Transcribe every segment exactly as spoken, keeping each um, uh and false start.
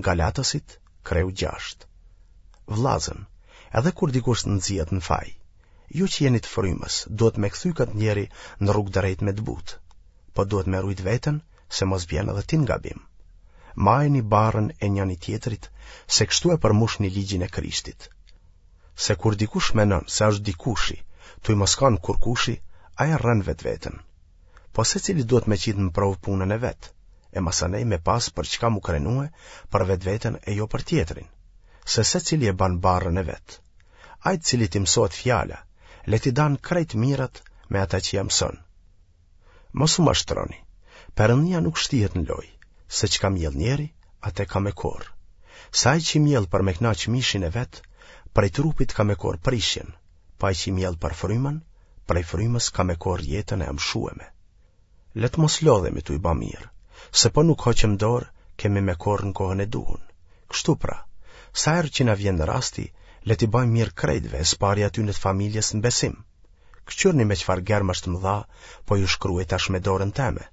Galatasit, kreu gjashtë. Vllazën, edhe kur dikush të nxihet në faj, ju që jeni të frymës, duhet me kthy këtë njeri në rrugë drejt me të butë, po duhet me rujt veten se mos bjen edhe ti në gabim. Majeni barrën e njëni tjetrit, se kështu e përmushni ligjin e Krishtit. Se kur dikush menon se është dikushi, tuj mos kanë kurkushi, ai e rren vetveten. Po secili duhet me qitë në provë punën e vet, e masanej me pas për çka mu krenue për vetveten e jo për tjetrin, se secili e ban barrën e vet. Ai të cilit i mësohet fjala, le t'i dan krejt mirat me ata që ia mëson. Mos u mashtroni, Perëndia nuk shtihet në lojë, se çka mjell njeri, atë ka me korr. Se ai që mjell për me knaq mishin e vet, prej trupit ka me korr prishjen, po ai që mjell për frymën, prej frymës ka me korr jetën e amshueme. Le të mos lodhemi tuj ba mirë, se po nuk hoqëm dorë, kemi me korr në kohën e duhun. Kështu pra, sa herë që na vjen rasti, le t'i bajmë mirë krejtve, e s'pari atyne të familjes në besim. Këqyrni me çfarë germash të mëdha, po ju shkruaj tash me dorën teme.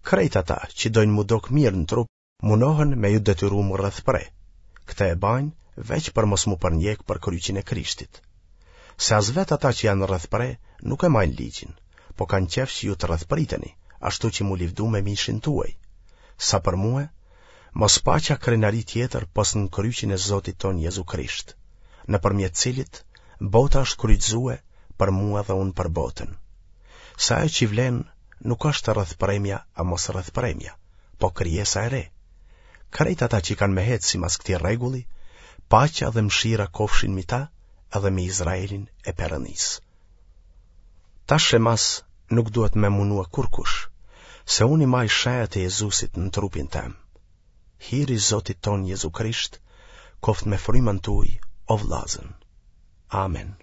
Krejt ata që dojnë mu dok mirë në trup, munohen me ju detyru mu rrethpre. Këtë e bajnë veç për mos mu përnjek për kryqin e Krishtit. Se as vetë ata që janë rrethpre nuk e majnë ligjin, po kanë qef që ju të rrethpriteni, ashtu që mu livdu me mishin tuaj. Sa për mue, mos paça krenari tjetër pos në kryqin e Zotit ton Jezu Krisht, nëpërmjet cilit bota është kryqëzue për mua dhe unë për botën. Se ajo që vlen nuk është rrethpremja a mos rrethpremja, po krijesa e re. Krejt ata që kanë me hec simas këtij rregulli, paqja dhe mëshira kofshin mi ta edhe me Izraelin e Perëndisë. Tash e mas nuk duhet me munua kurkush, se unë i maj shenjat e Jezusit në trupin tem. Hiri Zotit ton Jezu Krisht, koft me frymën tuaj, o vllazën. Amen.